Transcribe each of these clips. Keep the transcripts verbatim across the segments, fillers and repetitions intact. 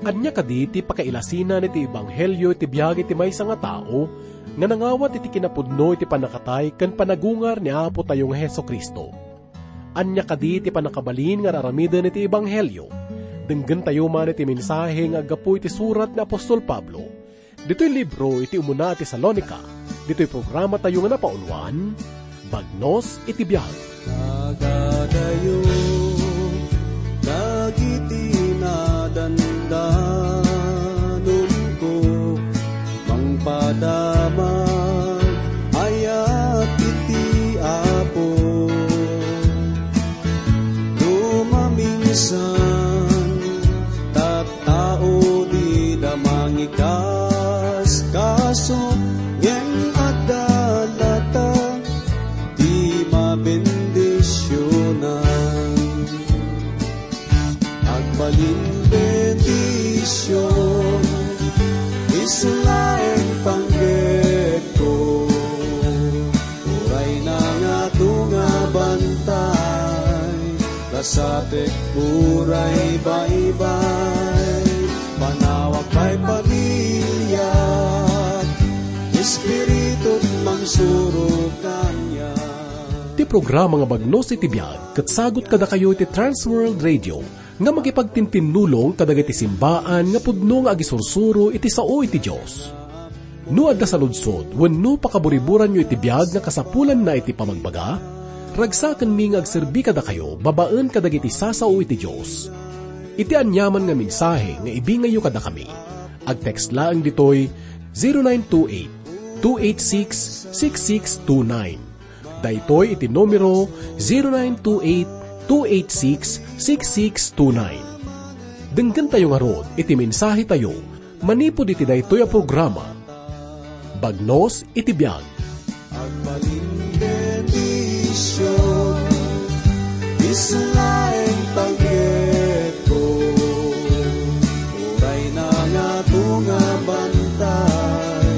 Ania kadi ti pakailasinan iti ebanghelio iti biag iti maysa nga tao nga nangawat iti kinapudno iti pannakatay ken panagungar ni Apotayo nga Jesu-Cristo? Ania kadi ti pannakabalin nga ar-aramiden iti ebanghelio? Denggentayo man iti mensahe nga aggapu iti surat ni apostol Pablo ditoy libro iti umuna a Tesalonica, ditoy programatayo nga napauluan, Bagnos iti Biag. Nagadayo dagiti nadandanumko, mangpadamag ayat iti Apo. No maminsan, tattao dida mangikaskaso, ngem adda latta ti mabendisionan. Agbalin bendision, isu laeng panggepko. Uray nangato nga bantay, kasatek uray baybay, panawak pay pamiliak, espiritu mangsurok kaniak. Ti programa nga Bagnos iti Biag ket sagut kadakayo iti Trans World Radio nga makipagtintinnulong kadagiti simbaan nga pudno nga agisursuro iti sao iti Dios. No adda saludsod wenno pakaburiburanyo iti biag nga kasapulanna iti pamagbaga, ragsakenmi nga agserbi kadakayo babaen kadagiti sasao iti Dios. Iti aniaman nga mensahe nga ibingayyo kadakami, agtext laeng ditoy zero nine two eight, two eight six, six six two nine. Daytoy iti numero zero nine two eight, two eight six, six six two nine. Denggentayo ngarud iti mensahetayo manipud iti daytoy a programa, Bagnos iti Biag. Agbalin bendision, isu laeng panggepko. Uray nangato nga bantay,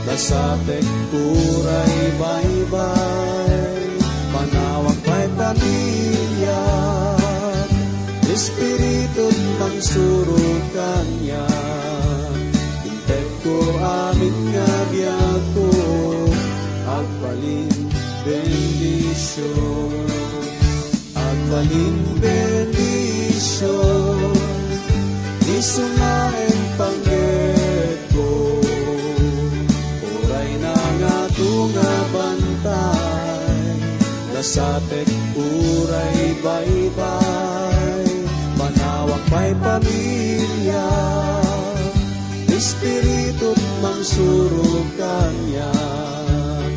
kasatek uray baybay, panawak pay pamiliak, espiritu mangsurok kaniak. Intekko amin nga biagko, agbalin bendision. Agbalin bendision, isu laeng panggepko. Uray nangato nga bantay, kasatek uray baybay, manawak pay pamiliak, espiritu mangsurok kaniak.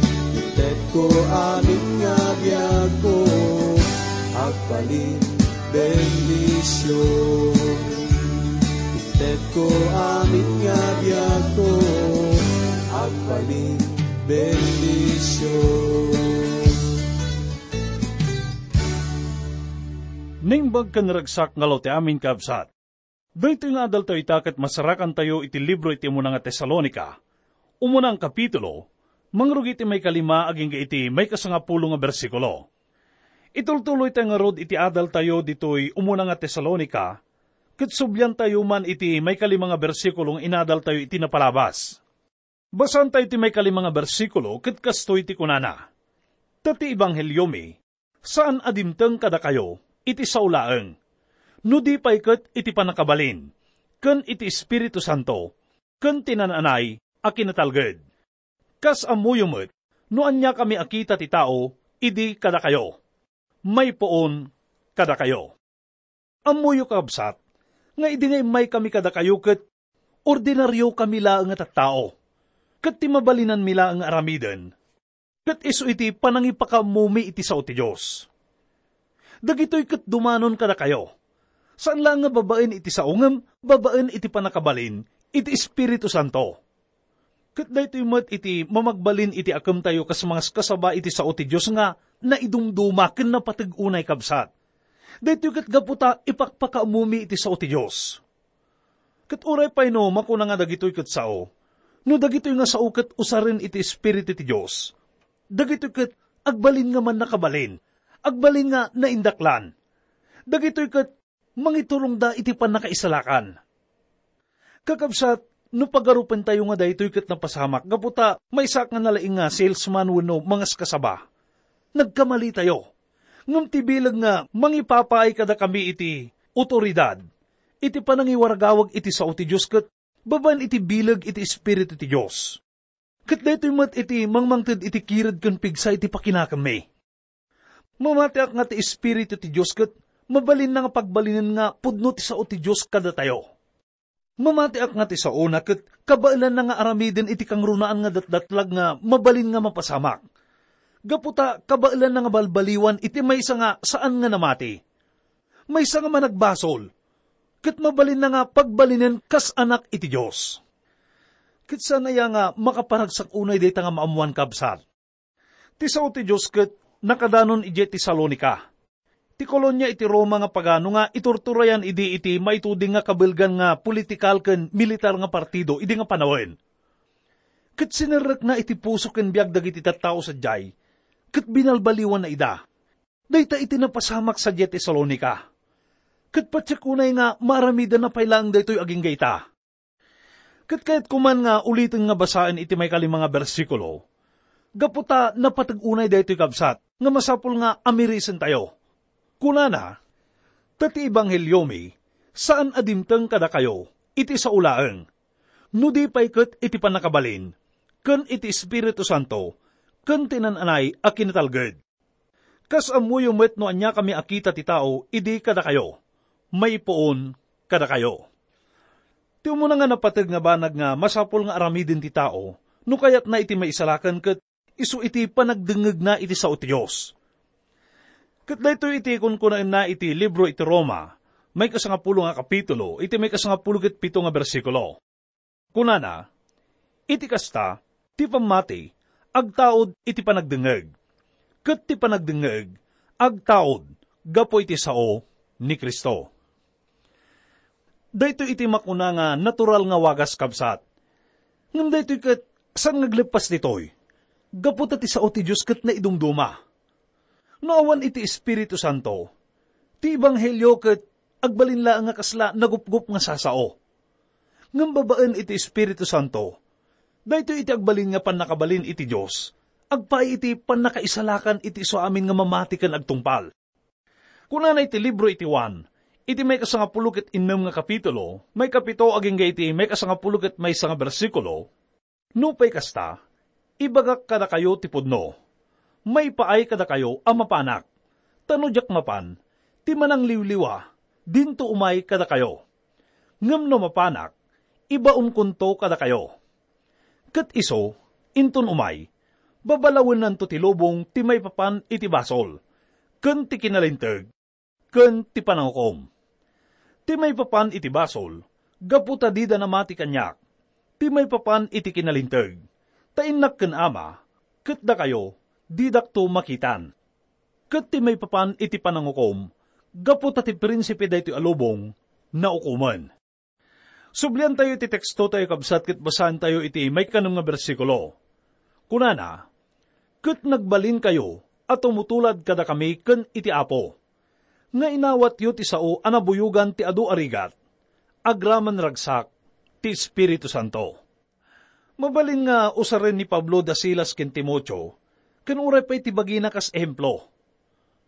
Intekko amin nga biagko, agbalin bendision. Intekko amin nga biagko, agbalin bendision. Naimbag ken naragsak nga aldaw ti amin, kabsat. Daytoy nga adaltayo ita ket masarakantayo iti libro iti umuna nga Tesalonica, umuna nga kapitulo, mangrugi iti maikalima agingga iti maikasangapulo nga bersikulo. Itultuloytayo ngarud iti adaltayo ditoy umuna nga Tesalonica, ket subliantayo man iti maikalima nga bersikulo nga inadaltayo iti napalabas. Basaentayo ti maikalima nga bersikulo ket kastoy ti kunana, "Ta ti ebangheliomi, saan a dimteng kadakayo iti sao laeng, no di pay ket iti pannakabalin, ken iti Espiritu Santo, ken ti naan-anay a kinatalged. Kas ammoyo met no aniakami a kita ti tao idi kadakayo, maipuon kadakayo." Ammoyo, kakabsat, nga idi nga immaykami kadakayo ket ordinariokami laeng a tattao, ket ti mabalinanmi laeng nga aramiden, ket isu iti panangipakaammomi iti sao ti Dios. Dagitoy ket dumanon kadakayo, saan laeng nga babaen iti sao ngem babaen iti pannakabalin iti Espiritu Santo. Ket daytoy met iti mamagbalin iti akemtayo kas mangaskasaba iti sao ti Dios nga naidumduma ken napateg unay, kabsat. Daytoy ket gapu ta ipakpakaammomi iti sao ti Dios. Ket uray pay no makuna nga dagitoy ket sao, no dagitoy nga sao ket usaren iti Espiritu ti Dios, dagitoy ket agbalin nga mannakabalin, agbalin nga naindaklan. Dagitoy ket mangiturongda iti pannakaisalakan. Kakabsat, no pagarupentayo nga daytoy ket napasamak gapu ta maysaak nga nalaing nga salesman wenno mangaskasaba, nagkamalitayo. Ngem ti bileg nga mangipapaay kadakami iti awtoridad, iti panangiwaragawag iti sao ti Dios ket babaen iti bileg iti Espiritu ti Dios. Ket daytoy met iti mangmangted iti kired ken pigsa iti pakinakemmi. Mamatiak nga ti Espiritu ti Dios ket mabalinna nga pagbalinen nga pudno ti sao ti Dios kadatayo. Mamatiak nga ti saona ket kabaelanna nga aramiden iti kangrunaan nga datdatlag nga mabalin nga mapasamak. Gapu ta kabaelanna nga balbaliwan iti maysa nga saan nga namati. Maysa nga managbasol, ket mabalinna nga pagbalinen kas anak iti Dios. Ket saan aya nga makaparagsak unay dayta nga maammoan, kabsat? Ti sao ti Dios ket nakadanon idiay Tesalonica, ti kolonia iti Roma nga pagano nga iturturayan idi iti maituding nga kabaelgan nga politikal ken militar nga partido idi nga panawen. Ket sinerrekna iti puso ken biag dagiti tattao sadiay, ket binalbaliwanna ida. Dayta iti napasamak sadiay Tesalonica. Ket patiek unay nga maaramidanna pay laeng daytoy agingga ita. Ket kayatko man nga uliten nga basaen iti maikalima nga bersikulo, gapu ta napateg unay daytoy, kabsat, nga masapul nga amirisentayo. Kunana, "Ta ti ebangheliomi, saan a dimteng kadakayo iti sao laeng, no di pay ket iti pannakabalin, ken iti Espiritu Santo, ken ti naan-anay a kinatalged." Kas ammoyo met no ania kami a kita ti tao idi kadakayo, maipuon kadakayo. Ti umuna nga napateg nga banag nga masapul nga aramiden ti tao no kayatna iti maisalakan ket isu iti panagdengngegna iti sao ti Dios. Ket daytoy iti kunkunaenna iti libro iti Roma, maikasangapulo nga kapitulo, iti maikasangapulo ket pito nga bersikulo. Kunana, "Iti kasta, ti pammati agtaud iti panagdengngeg, ket ti panagdengngeg agtaud gapu iti sao ni Cristo." Daytoy iti makuna nga natural nga wagas, kabsat. Ngem daytoy ket saan nga agleppas ditoy, gapu ta ti sao ti Dios ket naidumduma. No awan iti Espiritu Santo, ti ebanghelio ket agbalin laeng nga kasla nagupgop nga sasao. Ngem babaen iti Espiritu Santo, daytoy iti agbalin nga pannakabalin iti Dios, agpaay iti pannakaisalakan iti isu amin nga mamati ken agtungpal. Kunana iti libro iti Juan, iti maikasangapulo ket innem nga kapitulo, maikapito agingga iti maikasangapulo ket maysa nga bersikulo, "Nupay kasta, ibagak kadakayo ti pudno, maipaay kadakayo a mapanak, ta no diak mapan, ti manangliwliwa dinto umay kadakayo. Ngem no mapanak, ibaonkonto kadakayo. Ket isu, inton umay, babalawennanto ti lubong ti maipapan iti basol, ken ti kinalinteg, ken ti panangukom. Ti maipapan iti basol, gapu ta dida namati kaniak. Ti maipapan iti kinalinteg, ta innak ken Ama, ket dakayo, didakto makitan. Ket ti maipapan iti panangukom, gapu ta ti prinsipe daytoy a lubong, naukomen." Subliantayo iti tekstotayo, kabsat, ket basaentayo iti maikanem nga bersikulo. Kunana, "Ket nagbalinkayo a tumutulad kadakami ken iti Apo, nga inawatyo ti sao a nabuyogan ti adu a rigat, agraman ragsak ti Espiritu Santo." Mabalin nga usaren ni Pablo da Silas ken Timoteo, ken uray pay ti bagina kas ehemplo.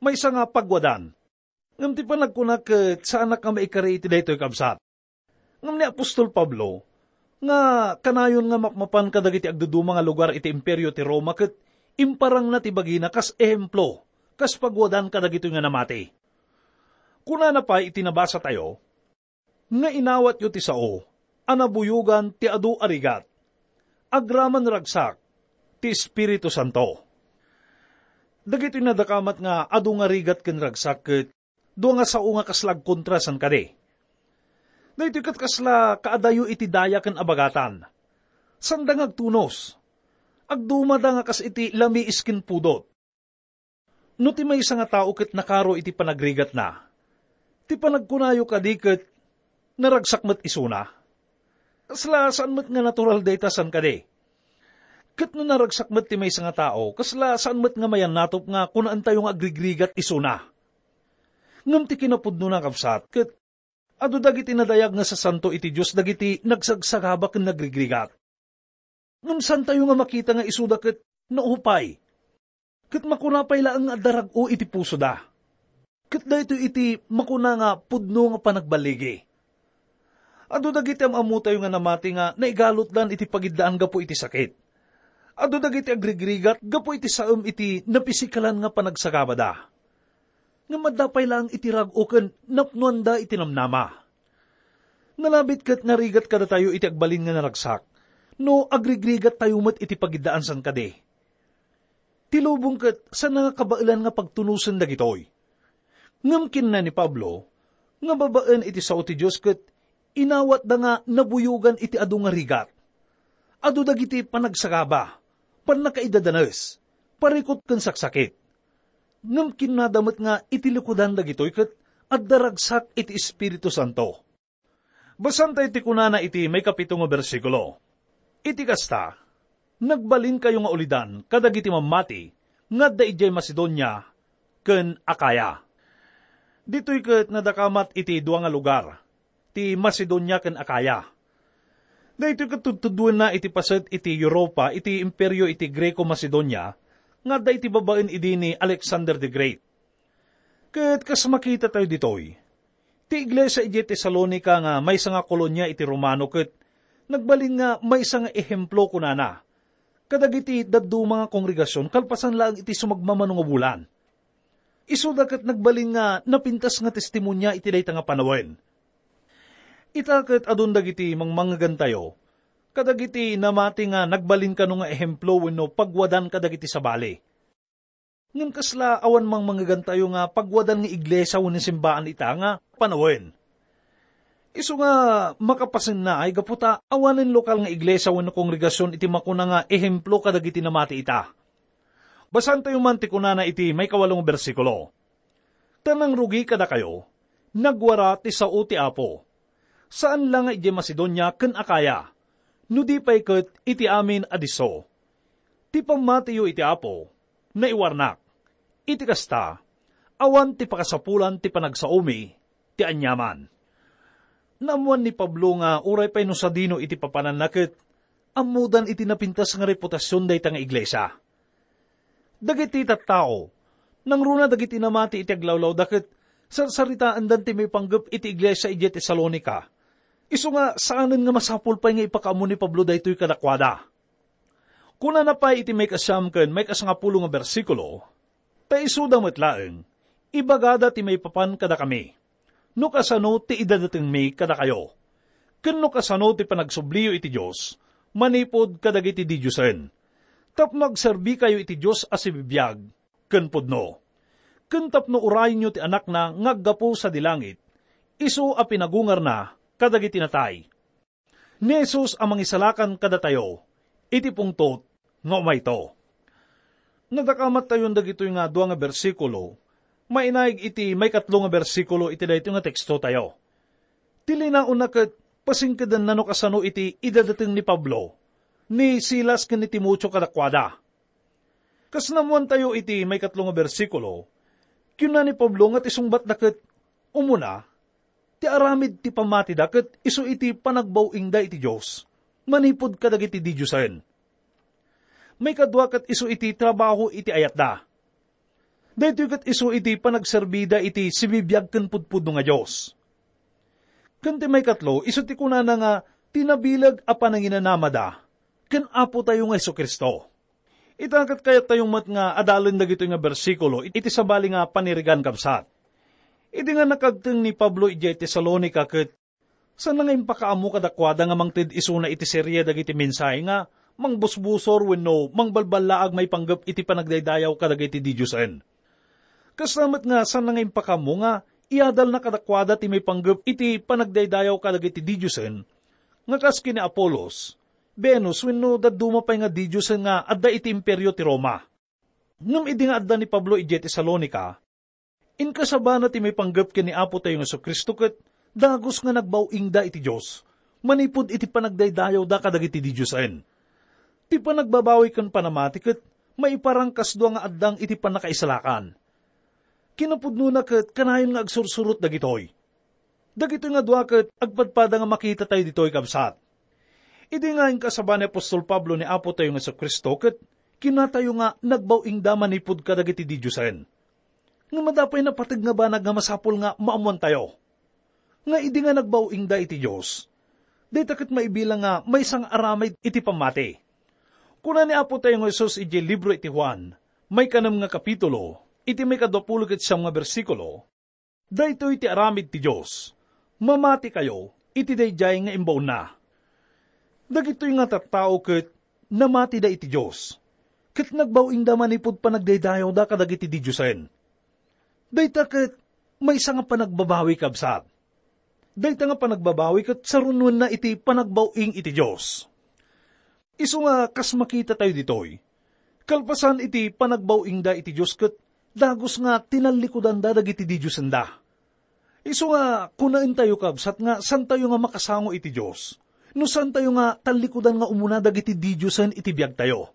Maysa nga pagwadan. Ngem ti panagkuna ket saanak nga maikari iti daytoy, kabsat. Ngem ni apostol Pablo, nga kanayon nga mapmapan kadagiti agduduma nga lugar iti Imperio ti Roma ket imparangna ti bagina kas ehemplo, kas pagwadan kadagitoy nga namati. Kunana pay iti nabasatayo, nga inawatyo ti sao a nabuyogan ti adu a rigat, agraman ragsak ti Espiritu Santo. Dagitoy nadakamat nga adu nga rigat ken ragsak ket dua nga sao nga kasla agkontra, saan kadi? Daytoy ket kasla kaadayo iti daya ken abagatan. Saanda nga agtunos. Agdumada nga kas iti lamiis ken pudot. No ti maysa nga tao ket nakaro iti panagrigatna, ti panagkunayo kadi ket naragsak met isuna? Kasla saan met nga natural dayta, saan kadi? Ket no naragsak met ti maysa nga tao, kasla saan met nga mayannatop nga kunaentayo nga agrigrigat isuna? Ngem ti kinapudnona, kabsat, ket Adu dagiti nadayag nga sasanto iti Dios dagiti nagsagsagaba ken nagrigrigat. Ngem saantayo nga makita nga isuda ket naupay, ket makuna pay laeng nga adda rag-o iti pusoda. Ket daytoy iti makuna nga pudno nga panagballigi. Adu dagiti am-ammotayo nga namati nga naigalutdan iti pagiddaan gapu iti sakit. Adu dagiti agrigrigat gapu iti saem iti napisikalan nga panagsagabada. Ngem adda pay laeng iti rag-o ken napnoanda iti namnama. Nalabit ket narigat kadatayo iti agbalin nga naragsak, no agrigrigattayo met iti pagiddaan saan kadi. Ti lubong ket saan nga kabaelan nga pagtunosen dagitoy. Ngem kinuna ni Pablo nga babaen iti sao ti Dios ket inawatda nga nabuyogan iti adu nga rigat. Adu dagiti panagsagaba, pannakaidadanes, parikut ken saksakit. Ngem kinunada met nga iti likudan dagitoy ket adda ragsak iti Espiritu Santo. Basaentayo ti kunana iti maikapito nga bersikulo. Iti kasta, nagbalinkayo nga ulidan kadagiti mammati nga adda idiay Macedonia ken Acaya. Ditoy ket nadakamat iti dua nga lugar, ti Macedonia ken Acaya. Daytoy ket tudtuduenna iti paset iti Europa iti imperio iti Greco-Macedonia nga adda iti babaen idi ni Alexander the Great. Ket kas makitatayo ditoy, ti iglesia idiay Tesalonica nga maysa nga kolonia iti Romano ket nagbalin nga maysa nga ehemplo, kunana, kadagiti dadduma nga kongregasion kalpasan laeng iti sumagmamano nga bulan. Isuda ket nagbalin nga napintas nga testimonia iti dayta nga panawen. Ita ket adun dagiti mangmangegantayo kadagiti namati nga nagbalin kano nga ehemplo wenno pagwadan kadagiti sabali. Ngem kasla awan mangmangegantayo nga pagwadan nga iglesia wenno simbaan ita nga panawen. Isu nga makapasennaay gapu ta awanen lokal nga iglesia wenno kongregasion iti makuna nga ehemplo kadagiti namati ita. Basaentayo man ti kunana iti maikawalo nga bersikulo. Ta nangrugi kadakayo, nagwara ti sao ti Apo. Saan la nga idiay Macedonia ken Acaya, no di pay ket iti amin a disso. Ti pammatiyo iti Apo, naiwarnak. Iti kasta, awan ti pakasapulan ti panagsaomi ti aniaman. Naammoan ni Pablo nga uray pay no sadino iti papananna ket ammodan iti napintas nga reputasion dayta nga iglesia. Dagiti tattao, nangruna dagiti namati iti aglawlawda ket sarsaritaendan ti maipanggep iti iglesia idiay Tesalonica. Isu nga saanen nga masapul pay nga ipakaammo ni Pablo daytoy kadakuada. Kunana pay iti maikasiam ken maikasangapulo nga bersikulo, ta isuda met laeng, ibagada ti maipapan kadakami. No kasano ti idadatengmi kadakayo, ken no kasano ti panagsubliyo iti Dios manipud kadagiti didiosen, tapno agserbikayo iti Dios a sibibiag ken pudno, ken tapno urayenyo ti Anakna nga aggapu sadi langit, isu a pinagungarna kadagiti natay. Ni Jesus a Mangisalakan kadatayo iti pungtot nga umayto. Nadakamattayon dagitoy nga dua nga bersikulo, mainaig iti maikatlo nga bersikulo iti daytoy nga tekstotayo. Ti linaonna ket pasingkedanna no kasano iti idadateng ni Pablo, ni Silas ken ni Timoteo kadakuada. Kas naammoantayo iti maikatlo nga bersikulo, kinuna ni Pablo nga ti sungbatda ket umuna, ti aramid ti pammatida ket isu iti panagbaw-ingda iti Dios manipud kadagiti didiosen. Maikadua ket isu iti trabaho iti ayatda. Daytoy ket isu iti panagserbida iti sibibiag ken pudpudno nga Dios. Ken ti maikatlo, isu ti kunana nga ti nabileg a pananginanamada ken Apotayo nga Jesu-Cristo. Ita ket kayattayo met nga adalen dagitoy nga bersikulo iti sabali nga panirigan, kabsat. Idi nga nakagteng ni Pablo idiay Tesalonica ket saan nga impakaammo kadakuada nga mangted isuna iti serie dagiti mensahe nga mangbusbusor wenno mangbalballaag maipanggep iti panagdaydayaw kadagiti didiosen. Kasta met nga saan nga impakaammo nga iadalna kadakuada ti maipanggep iti panagdaydayaw kadagiti didiosen nga kas ken ni Apolos, Venus wenno dadduma pay nga didiosen nga adda iti imperio ti Roma. Ngem idi nga adda ni Pablo idiay Tesalonica, inkasabana ti maipanggep ken ni Apotayo nga Jesu-Cristo ket dagus nga nagbaw-ingda iti Dios manipud iti panagdaydayawda kadagiti didiosen. Ti panagbabawi ken panamati ket maiparang kas dua nga addang iti pannakaisalakan. Kinapudnona ket kanayon nga agsursurot dagitoy. Dagitoy nga dua ket agpadpada nga makitatayo ditoy, kabsat. Idi nga inkasaba ni apostol Pablo ni Apotayo nga Jesu-Cristo, ket kinatayo nga nagbaw-ingda manipud kadagiti didiosen. Ngem adda pay napateg nga banag nga masapul nga maammoantayo, nga idi nga nagbaw-ingda iti Dios, dayta ket maibilang nga maysa nga aramid iti pammati. Kuna ni Apotayo nga Jesus idiay libro iti Juan, maikanem nga kapitulo, iti maikadua pulo ket siam nga bersikulo, "Daytoy ti aramid ti Dios: mamatikayo iti daydiay nga imbaonna." Dagitoy nga tattao ket namatida iti Dios, ket nagbaw-ingda manipud panagdaydayawda kadagiti didiosen. Dayta ket maysa nga panagbabawi, kabsat. Dayta nga panagbabawi ket sarunoenna iti panagbaw-ing iti Dios. Isu nga kas makitatayo ditoy, kalpasan iti panagbaw-ingda iti Dios ket dagus nga tinallikudanda dagiti didiosenda. Isu nga kunaentayo, kabsat, nga saantayo nga makasango iti Dios no saantayo nga tallikudan nga umuna dagiti didiosen iti biagtayo.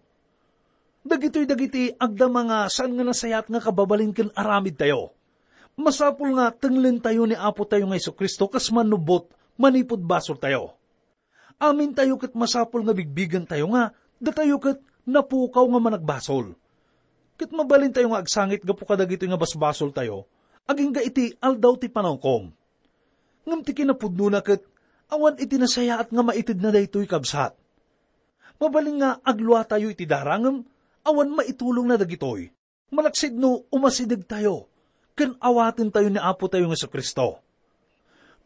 Dagitoy dagiti agdama nga saan nga nasayaat nga kababalin ken aramidtayo. Masapul nga tenglentayo ni Apotayo nga Jesu-Cristo kas mannubbot manipud basoltayo. Amintayo ket masapul nga bigbigentayo nga datayo ket napukaw nga managbasol. Ket mabalintayo nga agsangit gapu kadagitoy nga basbasoltayo agingga iti Aldaw ti Pananghukom. Ngem ti kinapudnona ket awan iti nasayaat nga maitedna daytoy, kabsat. Mabalin nga agluatayo iti dara ngem awan maitulongna dagitoy. Malaksid no umasidegtayo ken awatentayo ni Apotayo nga Jesu-Cristo.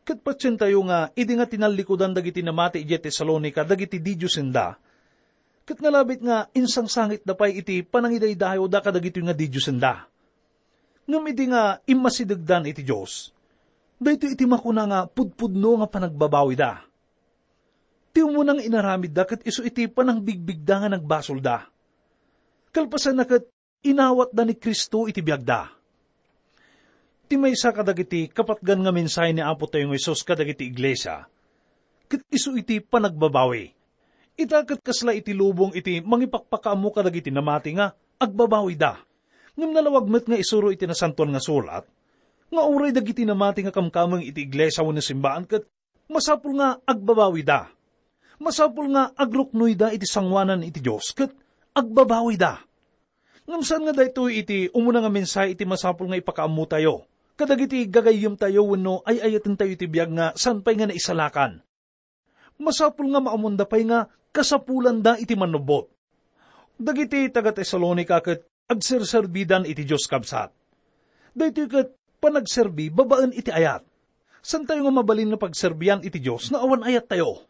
Ket patientayo nga idi nga tinallikudan dagiti namati idiay Tesalonica dagiti didiosenda, ket nalabit nga insangsangitda pay iti panangidaydayawda kadagitoy nga didiosenda. Ngem idi nga immasidegdan iti Dios, daytoy iti makuna nga pudpudno nga panagbabawida. Ti umuna nga inaramidda ket isu iti panangbigbigda nga nagbasolda. Kalpasanna ket inawatda ni Cristo iti biagda. Ti maysa kadagiti kapatgan nga mensahe ni Apotayo nga Jesus kadagiti iglesia, ket isu iti panagbabawi. Ita ket kasla iti lubong iti mangipakpakaammo kadagiti namati nga agbabawida. Ngem nalawag met nga isuro iti Nasantoan nga Surat nga uray dagiti namati nga kamkameng iti iglesia wenno simbaan ket masapul nga agbabawida. Masapul nga agruknoyda iti sangoanan iti Dios ket agbabawida. Ngem saan nga daytoy iti umuna nga mensahe iti masapul nga ipakaammotayo kadagiti gagayyemtayo wenno ay-ayatentayo iti biag nga saan pay nga naisalakan. Masapul nga maammoanda pay nga kasapulanda iti mannubbot. Dagiti taga-Tesalonica ket agserserbidan iti Dios, kabsat. Daytoy ket panagserbi babaen iti ayat. Saantayo nga mabalin nga pagserbian iti Dios no awan ayattayo.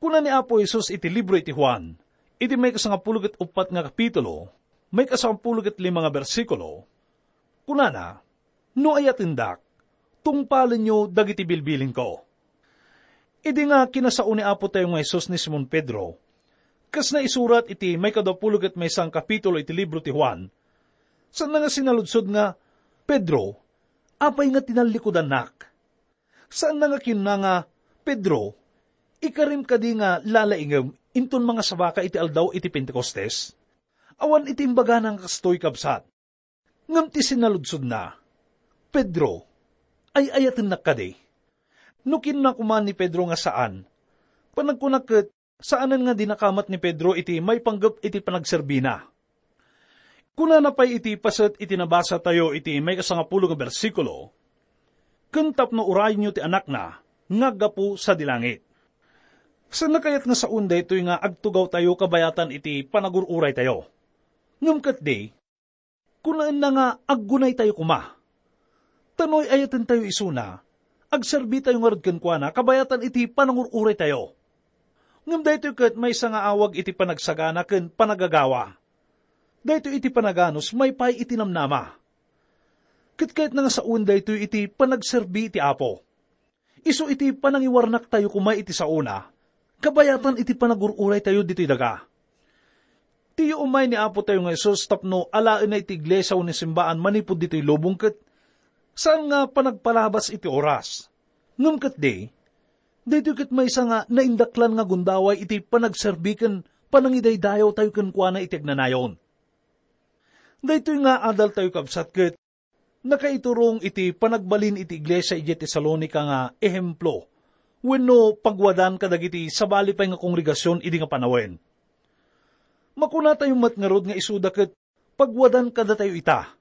Kuna ni Apo Jesus iti libro iti Juan, iti maikasangapulo ket uppat nga kapitulo, maikasangapulo ket lima nga bersikulo, kunana, "No ayatendak, tungpalenyo dagiti bilbilinko." Idi nga kinasao ni Apotayo nga Jesus ni Simon Pedro, kas naisurat iti maikadua pulo ket maysa nga kapitulo iti libro ti Juan, saanna nga sinaludsod nga, "Pedro, apay nga tinallikudannak?" Saanna nga kinuna nga, "Pedro, ikarim kadi nga lalaingem inton mangasabaka iti aldaw iti Pentecostes?" Awan iti imbagana nga kastoy, kabsat. Ngem ti sinaludsodna, "Pedro, ay-ayatennak kadi?" No kinuna koma ni Pedro nga saan, panagkunak ket saanen nga dinakamat ni Pedro iti maipanggep iti panagserbina. Kunana pay iti paset iti nabasatayo iti maikasangapulo nga bersikulo, "Ken tapno urayenyo ti Anakna nga aggapu sadi langit." Saanna kayat nga saon daytoy nga agtugawtayo kabayatan iti panagur-uraytayo. Ngem ketdi, kunaenna nga aggunaytayo koma. Ta no ay-ayatentayo isuna, agserbitayo ngarud kenkuana kabayatan iti panangur-uraytayo. Ngem daytoy ket maysa nga awag iti panagsagana ken panagagawa. Daytoy iti panaganus maipay iti namnama. Ket kayatna nga sawen daytoy iti panagserbi iti Apo. Isu iti panangiwarnaktayo koma iti saona, kabayatan iti panagur-uraytayo ditoy daga. Ti umay ni Apotayo nga Jesus tapno alaenna iti iglesia wenno simbaan manipud ditoy lubong ket saan nga panagpalabas iti oras. Ngem ketdi, daytoy ket maysa nga naindaklan nga gundaway iti panagserbi ken panangidaydayawtayo kenkuana iti agnanayon. Daytoy nga adaltayo, kabsat, ket nakaiturong iti panagbalin iti iglesia idiay Tesalonica nga ehemplo wenno pagwadan kadagiti sabali pay nga kongregasion idi nga panawen. Makunatayo met ngarud nga isuda ket pagwadan kadatayo ita.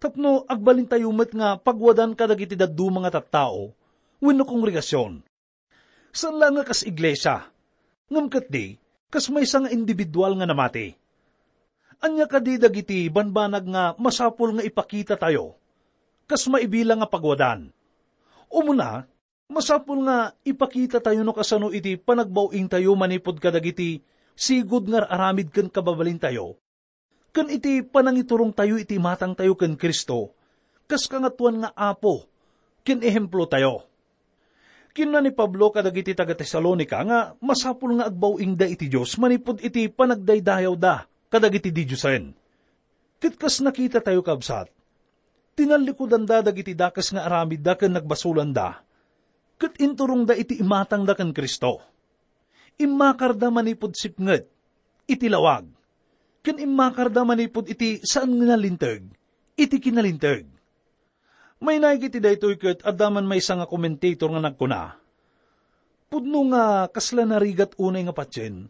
Tapno agbalintayo met nga pagwadan kadagiti dadduma nga tattao wenno kongregasion. Saan laeng nga kas iglesia, ngem ketdi kas maysa nga individual nga namati. Ania kadi dagiti banbanag nga masapul nga ipakitatayo kas maibilang nga pagwadan? Umuna, masapul nga ipakitatayo no kasano iti panagbaw-ingtayo manipud kadagiti sigud nga ar-aramid ken kababalintayo, ken iti panangiturongtayo iti imatangtayo ken Cristo kas Kangatoan nga Apo ken ehemplotayo. Kinuna ni Pablo kadagiti taga-Tesalonica nga masapul nga agbaw-ingda iti Dios manipud iti panagdaydayawda kadagiti didiosen. Ket kas nakitatayo, kabsat, tinallikudanda dagiti dakes nga aramidda ken nagbasolanda, ket inturongda iti imatangda ken Cristo. Immakarda manipud sipnget iti lawag, ken immakarda manipud iti saan nga nalinteg iti kinalinteg. Mainaig iti daytoy ket adda man maysa nga commentator nga nagkuna, "Pudno nga kasla narigat unay nga patien,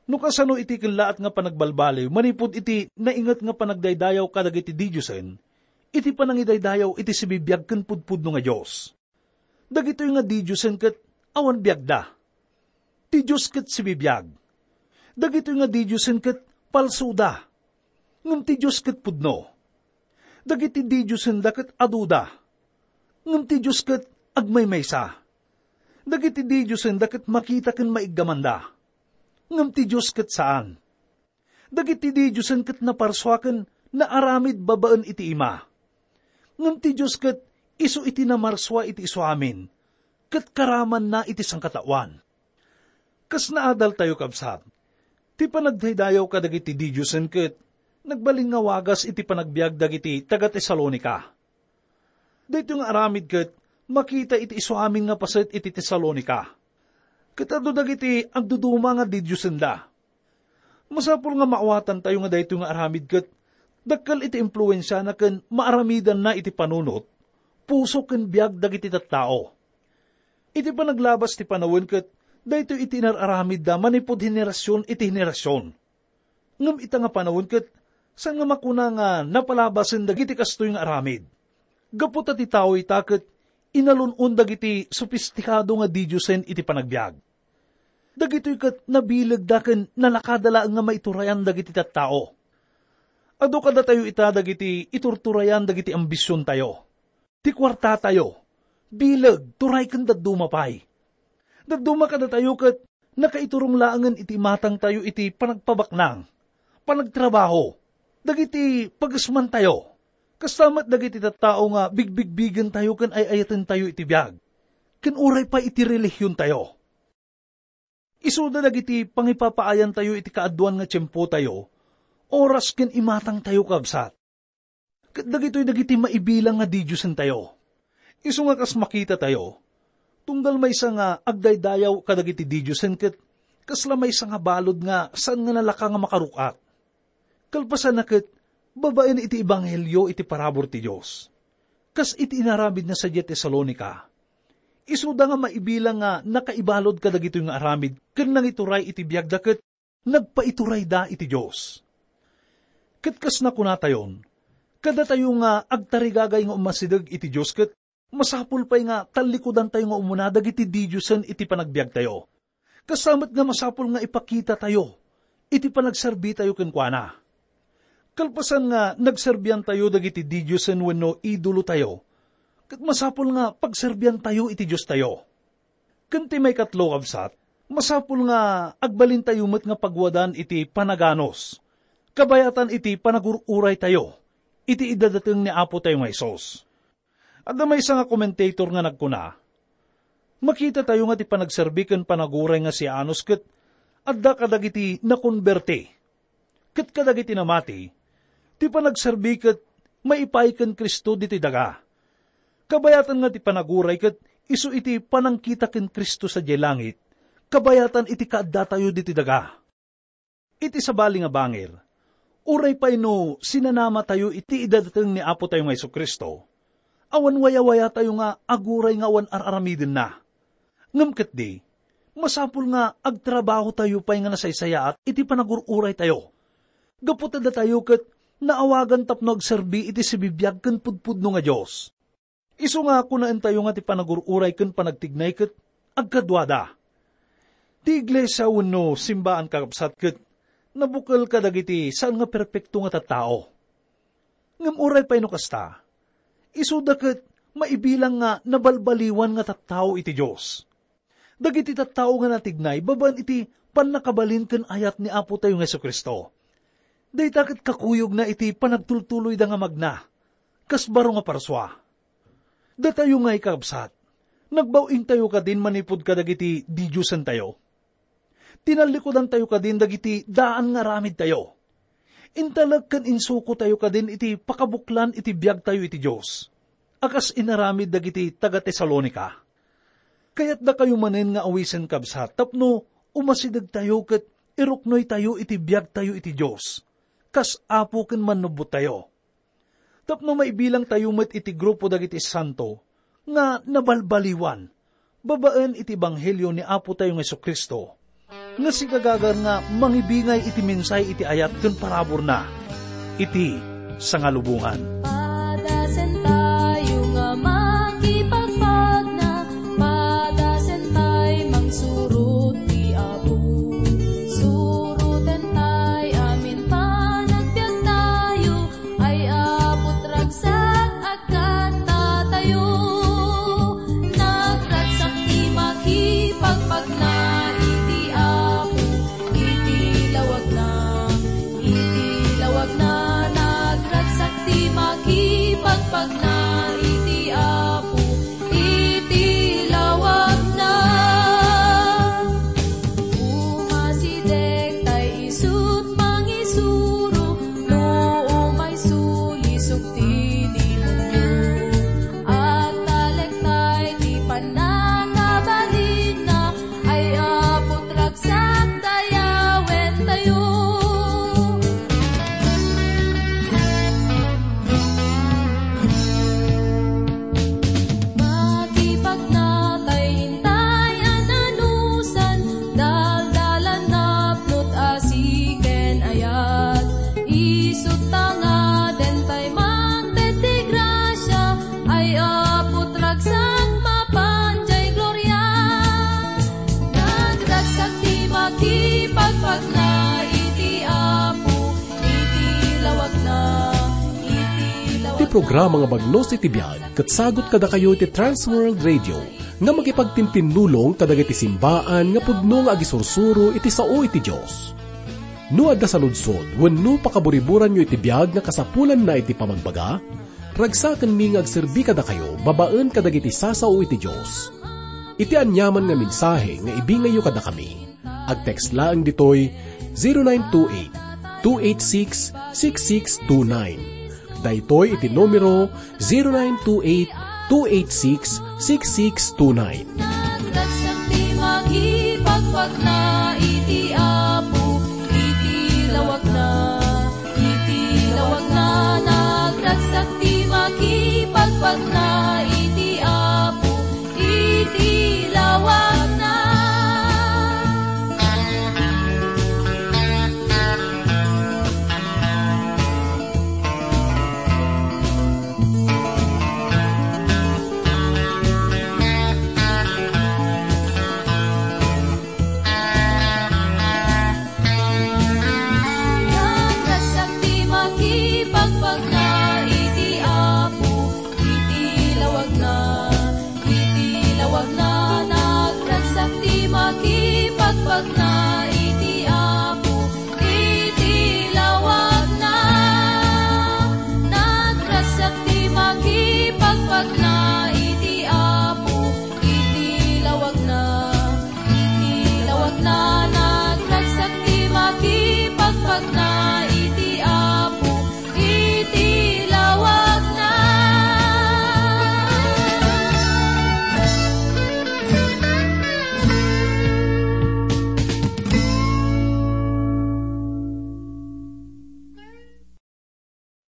no kasano iti kellaat nga panagbalbaliw manipud iti nainget nga panagdaydayaw kadagiti didiosen, iti panangidaydayaw iti sibibiag ken pudpudno nga Dios. Dagitoy nga didiosen ket awan biagda. Ti Dios ket sibibiag. Dagitoy nga didiosen ket palsoda. Ngem ti Dios ket pudno. Dagiti didiosenda ket aduda. Ngem ti Dios ket agmaymaysa. Dagiti didiosenda ket makita ken maiggamanda. Ngem ti Dios ket saan. Dagiti didiosen ket naparsua ken naaramid babaen iti ima. Ngem ti Dios ket isu iti namarsua iti isuamin, ket karamanna iti sangkataoan." Kas naadaltayo, kabsat, ti panagdaydayaw kadagiti didiosen ket nagbalin nga wagas iti panagbiag dagiti taga-Tesalonica. Daytoy nga aramid ket makita iti isuamin nga paset iti Tesalonica. Ket adu dagiti agduduma nga didiosenda. Masapul nga maawatantayo nga daytoy nga aramid ket dakkel iti impluensiana ken maaramidanna iti panunot, puso ken biag dagiti tattao. Iti panaglabas ti panawen ket daytoy iti inar-aramidda manipud henerasion iti henerasion. Ngem ita nga panawen ket saan nga makuna nga napalabasen dagiti kastoy nga aramid. Gapu ta ti tao ita ket inalun-on dagiti sopistikado nga didiosen iti panagbiag. Dagitoy ket nabilegda ken nalakada laeng nga maiturayan dagiti tattao. Adu kadatayo ita dagiti iturturayan dagiti ambisiontayo, ti kuartatayo, bileg, turay ken dadduma pay. Dadduma kadatayo ket nakaiturong laengen iti imatangtayo iti panagpabaknang, panagtrabaho, dagiti pagesmantayo. Kasta met dagiti tattao nga bigbigbigentayo ken ay-ayatentayo iti biag, ken uray pay iti relihiontayo. Isuda dagiti pangipapaayantayo iti kaaduan nga tiempotayo, oras ken imatangtayo, kabsat. Ket dagitoy dagiti maibilang nga didiosentayo. Isu nga kas makitatayo, tunggal maysa nga agdaydayaw kadagiti didiosen ket kasla maysa nga balud nga saan nga nalaka nga makaruk-at. Kalpasanna ket, babaen iti ebanghelio iti parabur ti Dios, kas iti inaramidna sadiay Tesalonica, isuda nga maibilang nga nakaibalud kadagitoy nga aramid ken nangituray iti biagda ket nagpaiturayda iti Dios. Ket kas nakunatayon, kadatayo nga agtarigagay nga umasideg iti Dios ket masapul pay nga tallikudantayo nga umuna dagiti didiosen iti panagbiagtayo. Kasta met nga masapul nga ipakitatayo iti panagserbitayo kenkuana. Kalpasan nga nagserbiantayo dagiti didiosen wenno idolotayo, ket masapul nga pagserbiantayo iti Diostayo. Ken ti maikatlo, kabsat, masapul nga agbalintayo met nga pagwadan iti panaganus, kabayatan iti panagur-uraytayo iti idadateng ni Apotayo nga Jesus. Adda maysa nga commentator nga nagkuna, "Makitatayo nga ti panagserbi ken panaguray nga siaanus ket adda kadagiti nakonberti. Ket kadagiti namati, ti panagserbi ket maipaay ken Cristo ditoy daga. Kabayatan nga ti panaguray ket isu iti panangkita ken Cristo sadiay langit, kabayatan iti kaaddatayo ditoy daga." Iti sabali nga bangir, Uray pay no sinanamatayo iti idateng ni Apo tayo nga Jesu-Cristo, awan wayawayatayo nga aguray nga awan ar-aramidenna. Ngem ketdi, masapul nga agtrabahotayo pay nga nasaysayaat iti panagur-uraytayo. Gapu ta datayo ket naawagan tapno agserbi iti sibibiag ken pudpudno nga Dios. Isu nga kunaentayo nga ti panagur-uray ken panagtignay ket agkaduada. Ti iglesia wenno simbaan, kakabsat, ket nabukel kadagiti saan nga perpekto nga tattao. Ngem uray pay no kasta, isuda ket maibilang nga nabalbaliwan nga tattao iti Dios. Dagiti tattao nga natignay babaen iti pannakabalin ken ayat ni Apo tayo nga Jesu-Cristo. Dayta ket kakuyogna iti panagtultuloyda nga magna, kas baro nga parsua. Datayo nga ikabsat, nagbaw-ingtayo kadin manipud kadagiti didiosentayo. Tinallikudantayo kadin dagiti daan nga aramidtayo. Intalek ken insukotayo kadin iti pakabuklan iti biagtayo iti Dios, a kas inaramid dagiti taga-Tesalonica. Kayatdakayo manen nga awisen, kabsat, tapno umasidegtayo ket iruknoytayo iti biagtayo iti Dios, kas Apo ken Mannubbottayo. Tapno maibilangtayo met iti grupo dagiti santo nga nabalbaliwan babaen iti ebanghelio ni Apo tayo nga Jesu-Cristo, nga sigagagar nga mangibingay iti mensahe iti ayat ken paraburna iti sangalubongan. Padasen tayo nga makipagpagna, padasen tayo mangsurot ti Apo. Suroten tayo amin panagbiag tayo, ay Apo, ragsak agkatta tayo. Nagragsak ti makipagpagna iti Apo, iti lawagna, iti lawagna. Nagragsak ti makipagpagna iti Apo, iti lawagna. Umasideg tay isut' mangisuro, no umay sulisog ti demonio. Agtalek tay ti pannakabalinna, ay Apo, ragsak dayawen tayo. Makipagna tay intay a nanusan, daldalan napnot asi ken ayat. Isut' ta ngaden tay mangted ti grasia, ay Apo, ragsak mapan jay gloria. Nagragsak ti makipagpagna iti Apo, iti lawagna, iti lawagna. Ti programa nga Bagnos iti Biag ket sagut kadakayo iti Trans World Radio nga makipagtintinnulong kadagiti simbaan nga pudno nga agisursuro iti sao iti Dios. No adda saludsod wenno pakaburiburanyo iti biag nga kasapulanna iti pamagbaga, ragsakenmi nga agserbi kadakayo babaen kadagiti sasao iti Dios. Iti aniaman nga mensahe nga ibingayyo kadakami, agtext laeng ditoy zero nine two eight, two eight six, six six two nine. Daytoy iti numero zero nine two eight, two eight six, six six two nine. Nagdagsak ti makipagpagna.